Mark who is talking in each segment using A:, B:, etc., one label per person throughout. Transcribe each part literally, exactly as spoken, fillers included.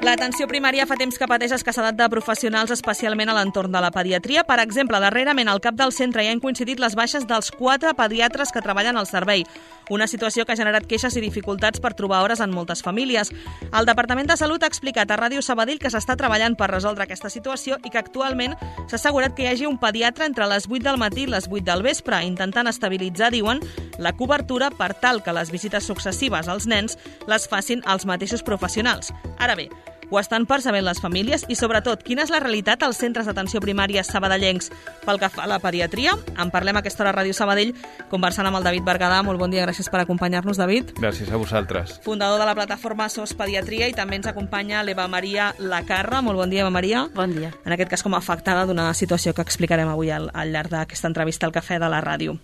A: L'atenció primària fa temps que pateix escassedat de professionals, especialment a l'entorn de la pediatria. Per exemple, darrerament al cap del centre hi han coincidit les baixes dels quatre pediatres que treballen al servei, una situació que ha generat queixes i dificultats per trobar hores en moltes famílies. El Departament de Salut ha explicat a Ràdio Sabadell que s'està treballant per resoldre aquesta situació i que actualment s'ha assegurat que hi hagi un pediatre entre les vuit del matí i les vuit del vespre, intentant estabilitzar, diuen, la cobertura per tal que les visites successives als nens les facin els mateixos professionals. Ara bé, ho estan percebent les famílies i, sobretot, quina és la realitat als centres d'atenció primària sabadellencs pel que fa a la pediatria? En parlem a aquesta hora a Ràdio Sabadell, conversant amb el David Berguedà. Molt bon dia, gràcies per acompanyar-nos, David.
B: Gràcies a vosaltres.
A: Fundador de la plataforma S O S Pediatria, i també ens acompanya l'Eva Maria Lacarra. Molt bon dia, Eva Maria.
C: Bon dia.
A: En aquest cas com a afectada d'una situació que explicarem avui al, al llarg d'aquesta entrevista al Cafè de la Ràdio.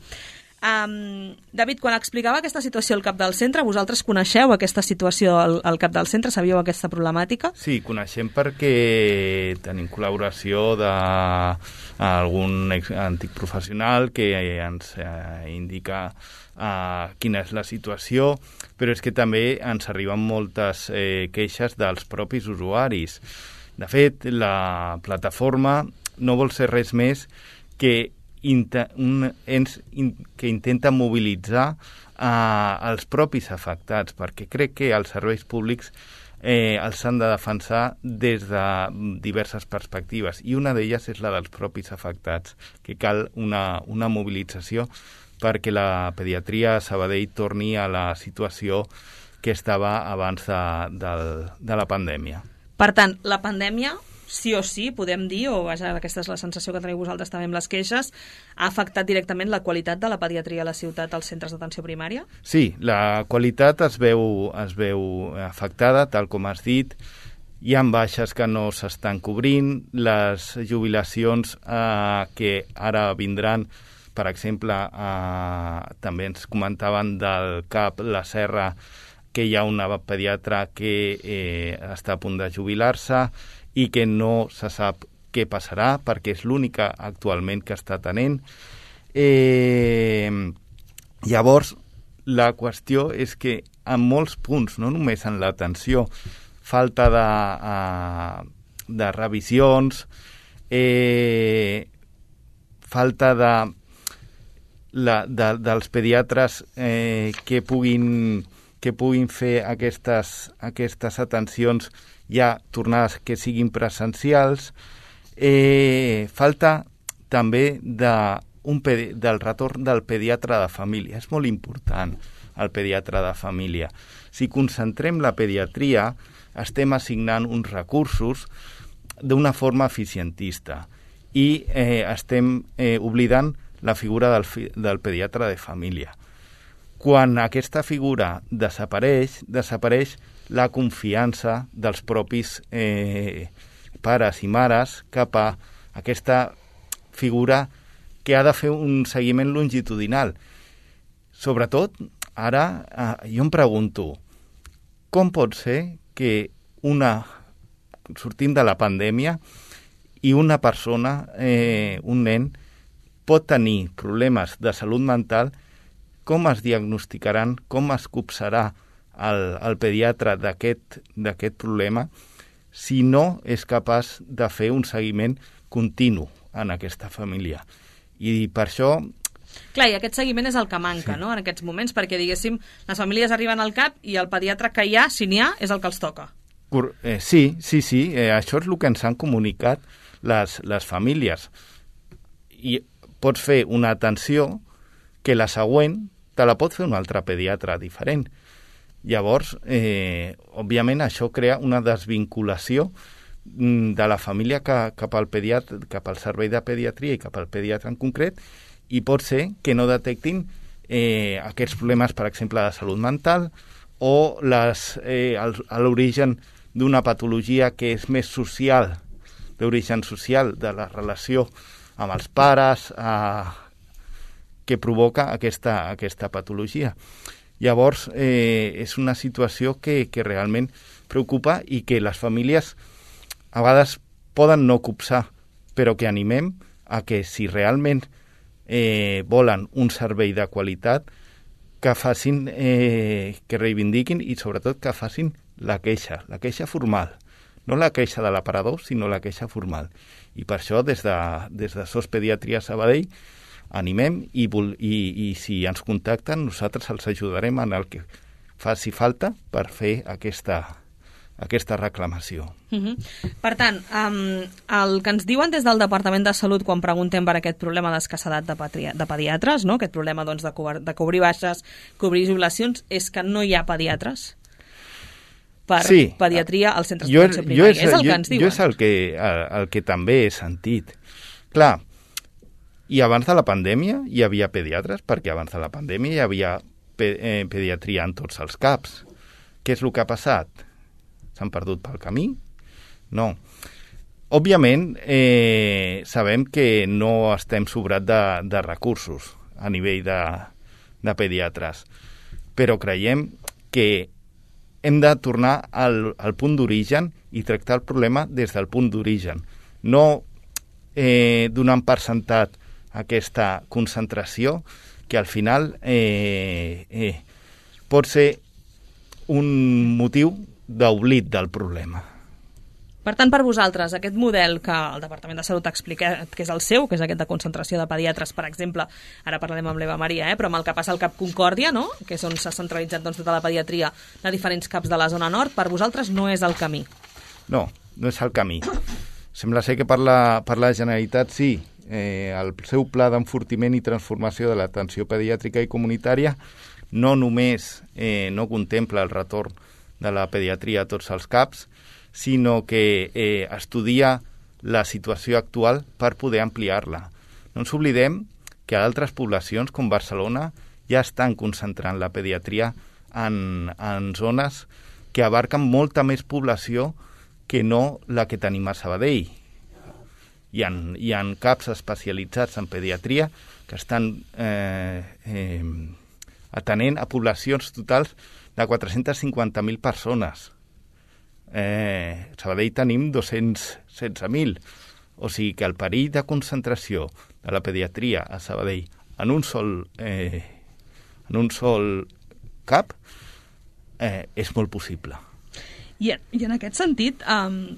A: Um, David, quan explicava aquesta situació al cap del centre, vosaltres coneixeu aquesta situació al, al cap del centre? Sabíeu aquesta problemàtica?
B: Sí, coneixem perquè tenim col·laboració d'algun antic professional que ens eh, indica eh, quina és la situació, però és que també ens arriben moltes eh, queixes dels propis usuaris. De fet, la plataforma no vol ser res més que un ens que intenta mobilitzar eh, els propis afectats, perquè crec que els serveis públics eh, els han de defensar des de diverses perspectives, i una d'elles és la dels propis afectats, que cal una, una mobilització perquè la pediatria a Sabadell torni a la situació que estava abans de, de, de la pandèmia.
A: Per tant, la pandèmia, sí o sí, podem dir, o vaja, aquesta és la sensació que teniu vosaltres també amb les queixes, ha afectat directament la qualitat de la pediatria a la ciutat als centres d'atenció primària?
B: Sí, la qualitat es veu, es veu afectada, tal com has dit. Hi ha baixes que no s'estan cobrint, les jubilacions eh, que ara vindran, per exemple, eh, també ens comentaven del C A P La Serra que hi ha una pediatra que eh, està a punt de jubilar-se i que no se sap què passarà, perquè és l'única actualment que està tenent. Eh, llavors, la qüestió és que en molts punts, no només en l'atenció, falta de, uh, de revisions, eh, falta de, la, de, dels pediatres eh, que puguin, que puguin fer aquestes, aquestes atencions ja tornades que siguin presencials. Eh, falta també de, un pedi del retorn del pediatre de família. És molt important el pediatre de família. Si concentrem la pediatria, estem assignant uns recursos d'una forma eficientista i eh, estem eh, oblidant la figura del, fi del pediatre de família. Quan aquesta figura desapareix, desapareix la confiança dels propis eh, pares i mares cap a aquesta figura que ha de fer un seguiment longitudinal. Sobretot, ara eh, jo em pregunto, com pot ser que una, sortim de la pandèmia i una persona, eh, un nen, pot tenir problemes de salut mental, com es diagnosticaran, com es copsarà el, el pediatre d'aquest d'aquest problema si no és capaç de fer un seguiment continu en aquesta família. I per això...
A: Clar, i aquest seguiment és el que manca, sí, no?, en aquests moments, perquè, diguéssim, les famílies arriben al cap i el pediatre que hi ha, si n'hi ha, és el que els toca.
B: Eh, sí, sí, sí, eh, això és el que ens han comunicat les, les famílies. I pots fer una atenció que la següent te la pot fer un altre pediatre diferent. Llavors, eh, òbviament, això crea una desvinculació de la família cap, cap, al pediatre, cap al servei de pediatria i cap al pediatre en concret, i pot ser que no detectin eh, aquests problemes, per exemple, de salut mental o les, eh, l'origen d'una patologia que és més social, d'origen social, de la relació amb els pares, eh, que provoca aquesta, aquesta patologia. Llavors, eh, és una situació que, que realment preocupa i que les famílies a vegades poden no copsar, però que animem a que si realment eh, volen un servei de qualitat, que facin, eh, que reivindiquin i sobretot que facin la queixa, la queixa formal. No la queixa de l'aparador, sinó la queixa formal. I per això, des de, des de S O S Pediatria Sabadell, animem i, i, i si ens contacten, nosaltres els ajudarem en el que faci falta per fer aquesta, aquesta reclamació.
A: Uh-huh. Per tant, um, el que ens diuen des del Departament de Salut quan preguntem per aquest problema d'escassedat de, de pediatres, no? Aquest problema doncs, de, cobrir, de cobrir baixes, cobrir jubilacions, és que no hi ha pediatres per
B: sí.
A: pediatria als centres d'atenció primària. És, és el
B: jo,
A: que ens diuen.
B: Jo és el que, el, el que també he sentit. Clar, i abans de la pandèmia hi havia pediatres, perquè abans de la pandèmia hi havia pe eh, pediatria en tots els CAPs. Què és el que ha passat? S'han perdut pel camí? No. Òbviament, eh, sabem que no estem sobrats de, de recursos a nivell de, de pediatres, però creiem que hem de tornar al, al punt d'origen i tractar el problema des del punt d'origen. No eh, donant per sentat aquesta concentració que al final eh, eh, pot ser un motiu d'oblit del problema.
A: Per tant, per vosaltres, aquest model que el Departament de Salut explica que és el seu, que és aquest de concentració de pediatres, per exemple, ara parlarem amb l'Eva Maria, eh, però amb el que passa al CAP Concòrdia, no? Que és on s'ha centralitzat doncs, tota la pediatria de diferents CAPs de la zona nord, per vosaltres no és el camí?
B: No, no és el camí. Sembla ser que per la, per la Generalitat sí. Eh, el seu pla d'enfortiment i transformació de l'atenció pediàtrica i comunitària no només eh, no contempla el retorn de la pediatria a tots els CAPs, sinó que eh, estudia la situació actual per poder ampliar-la. No ens oblidem que altres poblacions, com Barcelona, ja estan concentrant la pediatria en, en zones que abarquen molta més població que no la que tenim a Sabadell. Hi ha, hi ha CAPs especialitzats en pediatria que estan eh, eh, atenent a poblacions totals de quatre-cents cinquanta mil persones. Eh, a Sabadell tenim dos-cents setze mil. O sigui que el perill de concentració de la pediatria a Sabadell en un sol, eh, en un sol CAP eh, és molt possible.
A: I, i en aquest sentit... Um...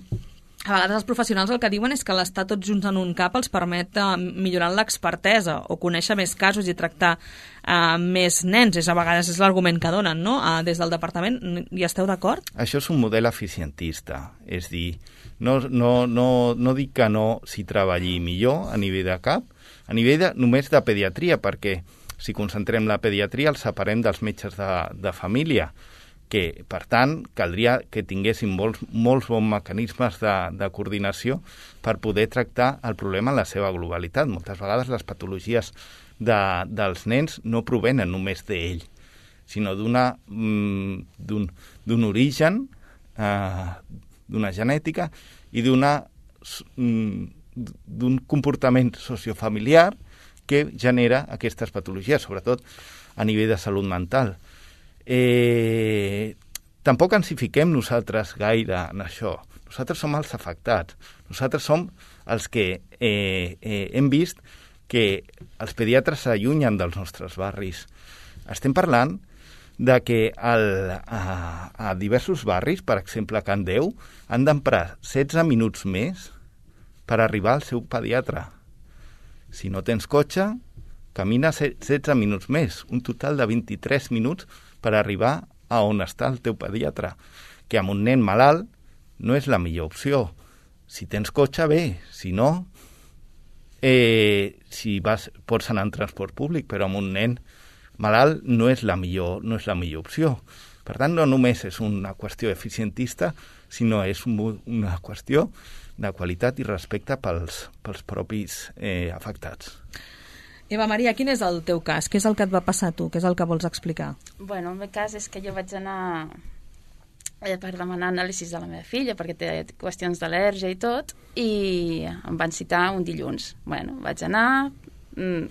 A: A vegades els professionals el que diuen és que l'estar tots junts en un CAP els permet uh, millorar l'expertesa o conèixer més casos i tractar uh, més nens. És, a vegades és l'argument que donen, no? Uh, des del departament, hi esteu d'acord?
B: Això és un model eficientista. És dir, no, no, no, no dic que no s'hi treballi millor a nivell de CAP, a nivell de, només de pediatria, perquè si concentrem la pediatria els separem dels metges de, de família, que, per tant, caldria que tinguessin molts, molts bons mecanismes de, de coordinació per poder tractar el problema en la seva globalitat. Moltes vegades les patologies de, dels nens no provenen només d'ell, sinó d'una mm, d'un, d'un origen, eh, d'una genètica i d'una mm, d'un comportament sociofamiliar que genera aquestes patologies, sobretot a nivell de salut mental. Eh, tampoc ens hi fiquem nosaltres gaire en això. Nosaltres som els afectats. Nosaltres som els que eh, eh, hem vist que els pediatres s'allunyen dels nostres barris. Estem parlant de que el, a, a diversos barris, per exemple a Can Déu, han d'emprar setze minuts més per arribar al seu pediatre. Si no tens cotxe, camina setze minuts més, un total de vint-i-tres minuts per arribar a on està el teu pediatre, que amb un nen malalt no és la millor opció. Si tens cotxe, bé, si no, eh, si vas, pots anar en transport públic, però amb un nen malalt no és la millor, no és la millor opció. Per tant, no només és una qüestió eficientista, sinó és un, una qüestió de qualitat i respecte pels, pels propis eh, afectats.
A: Eva Maria, quin és el teu cas? Què és el que et va passar a tu? Què és el que vols explicar?
C: Bueno, el meu cas és que jo vaig anar eh, per demanar anàlisis de la meva filla, perquè té qüestions d'al·lèrgia i tot, i em van citar un dilluns. Bueno, vaig anar,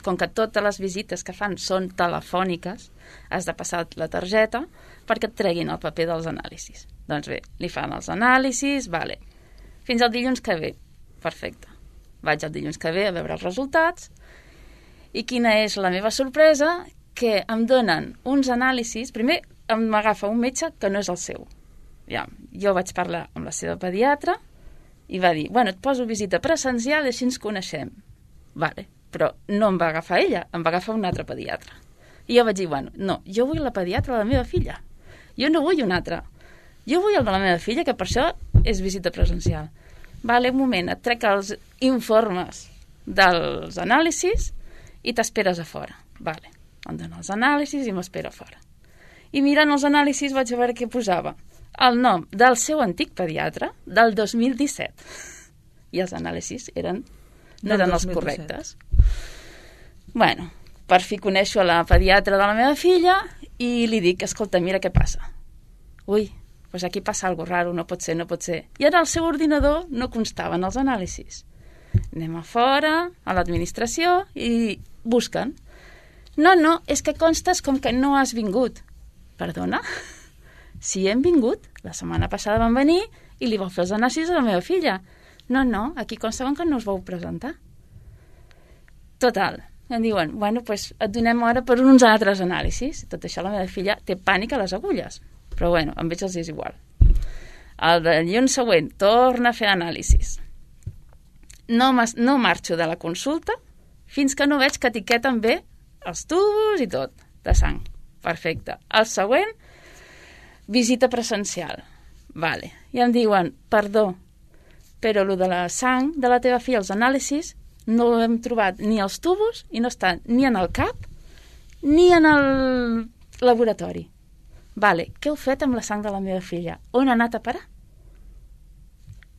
C: com que totes les visites que fan són telefòniques, has de passar la targeta perquè et treguin el paper dels anàlisis. Doncs bé, li fan els anàlisis, vale. Fins al dilluns que ve. Perfecte. Vaig el dilluns que ve a veure els resultats, I quina és la meva sorpresa? Que em donen uns anàlisis... Primer m'agafa un metge que no és el seu. Ja, jo vaig parlar amb la seva pediatra i va dir, bueno, et poso visita presencial i així ens coneixem. Vale, però no em va agafar ella, em va agafar un altre pediatre. I jo vaig dir, bueno, no, jo vull la pediatra de la meva filla. Jo no vull un altre. Jo vull el de la meva filla, que per això és visita presencial. Vale, un moment, et trec els informes dels anàlisis i t'esperes a fora. Vale. Em dona els anàlisis i m'espera fora. I mirant els anàlisis vaig veure què posava. El nom del seu antic pediatre del dos mil disset. I els anàlisis eren, no eren els correctes. Bueno, per fi coneixo la pediatra de la meva filla i li dic, escolta, mira què passa. Ui, doncs aquí passa alguna cosa raro, no pot ser, no pot ser. I en el seu ordinador no constaven els anàlisis. Anem a fora, a l'administració, i busquen. No, no, és que constes com que no has vingut. Perdona? Si hem vingut, la setmana passada vam venir i li vau fer els anàlisis a la meva filla. No, no, aquí consta que no us vau presentar. Total, em diuen, bueno, doncs et donem ara per uns altres anàlisis. Tot això la meva filla té pànic a les agulles. Però bueno, amb ells els és igual. El dilluns següent torna a fer anàlisis. No, no marxo de la consulta fins que no veig que etiqueten bé els tubos i tot, de sang. Perfecte. El següent, visita presencial. Vale. I em diuen, perdó, però el de la sang de la teva filla, els anàlisis, no hem trobat ni els tubos i no estan ni en el cap ni en el laboratori. Vale. Què heu fet amb la sang de la meva filla? On ha anat a parar?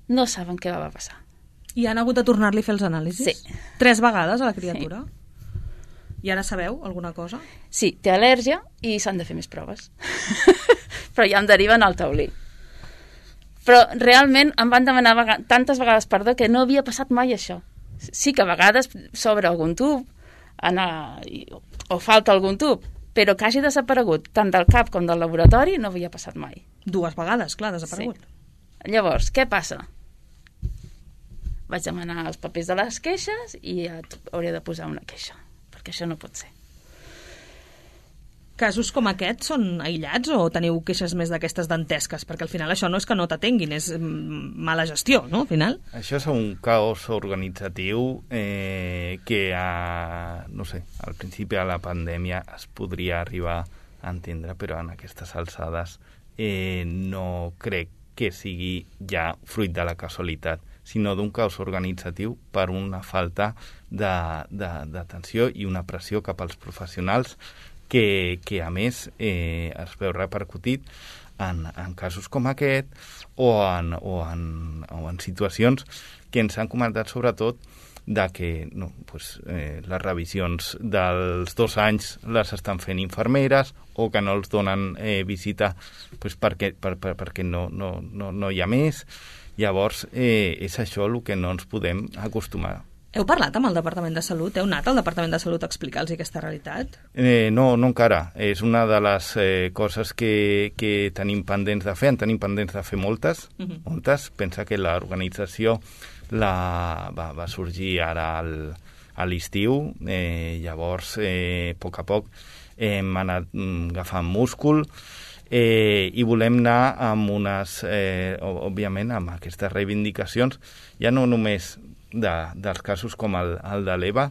C: No saben què va passar.
A: I han hagut de tornar-li a fer els anàlisis?
C: Sí.
A: Tres vegades a la criatura? Sí. I ara sabeu alguna cosa?
C: Sí, té al·lèrgia i s'han de fer més proves. Però ja em deriven al taulí. Però realment em van demanar vega- tantes vegades perdó que no havia passat mai això. Sí que a vegades s'obre algun tub anar, o falta algun tub, però que hagi desaparegut tant del cap com del laboratori no havia passat mai.
A: Dues vegades, clar, desaparegut.
C: Sí. Llavors, què passa? Vaig demanar els papers de les queixes i hauré de posar una queixa. Que això no pot ser.
A: Casos com aquests són aïllats o teniu queixes més d'aquestes dantesques? Perquè al final això no és que no t'atenguin, és mala gestió, no? Al final.
B: Això és un caos organitzatiu eh, que, a, no sé, al principi de la pandèmia es podria arribar a entendre, però en aquestes alçades eh, no crec que sigui ja fruit de la casualitat, sinó d'un caos organitzatiu per una falta d'atenció i una pressió cap als professionals que, que a més, eh, es veu repercutit en, en casos com aquest o en, o, en, o en situacions que ens han comentat sobretot de que no, pues, eh, les revisions dels dos anys les estan fent infermeres o que no els donen eh, visita pues, perquè, per, per, perquè no, no, no, no hi ha més. Llavors, eh, és això el que no ens podem acostumar.
A: Heu parlat amb el Departament de Salut? Heu anat al Departament de Salut a explicar-los aquesta realitat?
B: Eh, no, no encara. És una de les eh, coses que, que tenim pendents de fer. En tenim pendents de fer moltes. Uh-huh. Moltes. Pensa que l'organització la, va, va sorgir ara al, a l'estiu. Eh, llavors, eh, a poc a poc, eh, hem anat agafant múscul. Eh, i volem anar amb unes, eh, òbviament, amb aquestes reivindicacions, ja no només de, dels casos com el, el de l'Eva,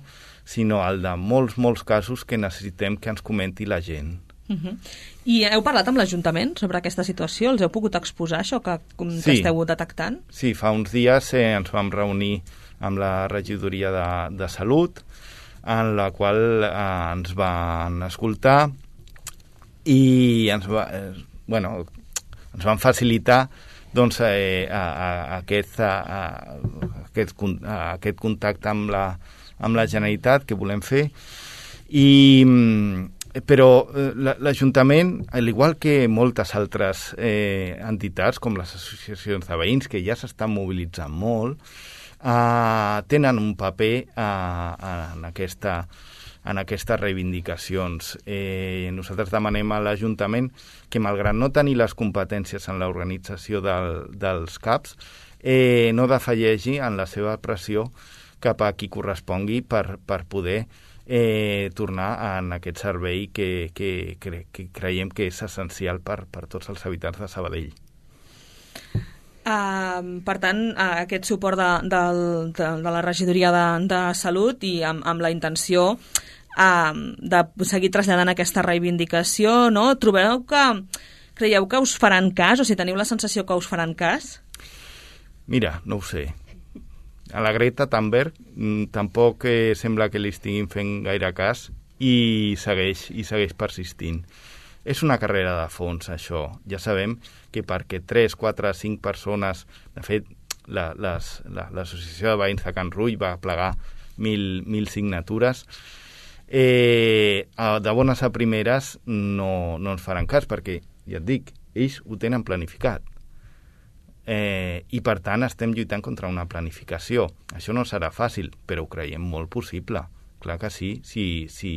B: sinó el de molts, molts casos que necessitem que ens comenti la gent.
A: Uh-huh. I heu parlat amb l'Ajuntament sobre aquesta situació? Els heu pogut exposar això que, que
B: sí.
A: esteu detectant?
B: Sí, fa uns dies eh, ens vam reunir amb la regidoria de, de Salut, en la qual eh, ens van escoltar i ens, va, eh, bueno, ens van facilitar doncs, eh, a, a, a aquest, a, a, aquest, a aquest contacte amb la, amb la Generalitat que volem fer. I, però eh, l'Ajuntament, al igual que moltes altres eh, entitats, com les associacions de veïns, que ja s'estan mobilitzant molt, eh, tenen un paper eh, en aquesta en aquestes reivindicacions. Eh, nosaltres demanem a l'Ajuntament que, malgrat no tenir les competències en l'organització del, dels CAPs, eh, no defallegi en la seva pressió cap a qui correspongui per, per poder eh, tornar en aquest servei que, que, que, que creiem que és essencial per, per tots els habitants de Sabadell.
A: Uh, per tant, uh, aquest suport de, de, de, de la regidoria de, de Salut i amb, amb la intenció uh, de seguir traslladant aquesta reivindicació, no? Trobeu que, creieu que us faran cas, o si teniu la sensació que us faran cas?
B: Mira, no ho sé. A la Greta Thunberg mm, tampoc eh, sembla que li estiguin fent gaire cas i segueix, i segueix persistint. És una carrera de fons, això. Ja sabem que perquè tres, quatre, cinc persones... De fet, la, les, la, l'Associació de Veïns de Can Rull va plegar mil, mil signatures. Eh, de bones a primeres no, no ens faran cas, perquè, ja et dic, ells ho tenen planificat. Eh, I, per tant, estem lluitant contra una planificació. Això no serà fàcil, però ho creiem molt possible. Clar que sí, si... si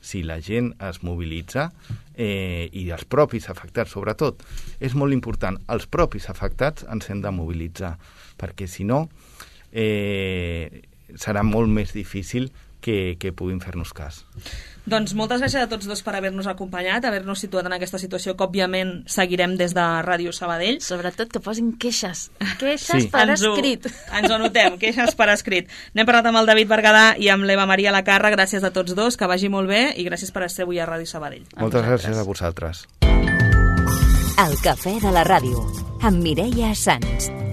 B: si la gent es mobilitza eh, i els propis afectats, sobretot, és molt important. Els propis afectats ens hem de mobilitzar, perquè si no eh, serà molt més difícil que, que puguin fer-nos cas.
A: Doncs moltes gràcies a tots dos per haver-nos acompanyat, haver-nos situat en aquesta situació que, òbviament, seguirem des de Ràdio Sabadell.
C: Sobretot que posin queixes. Queixes sí. per
A: ens ho,
C: escrit.
A: Ens ho anotem, queixes per escrit. N'hem parlat amb el David Berguedà i amb l'Eva Maria Lacarra. Gràcies a tots dos, que vagi molt bé i gràcies per ser avui a Ràdio Sabadell.
B: A Moltes vosaltres. Gràcies a vosaltres.
D: El Cafè de la Ràdio, amb Mireia Sans.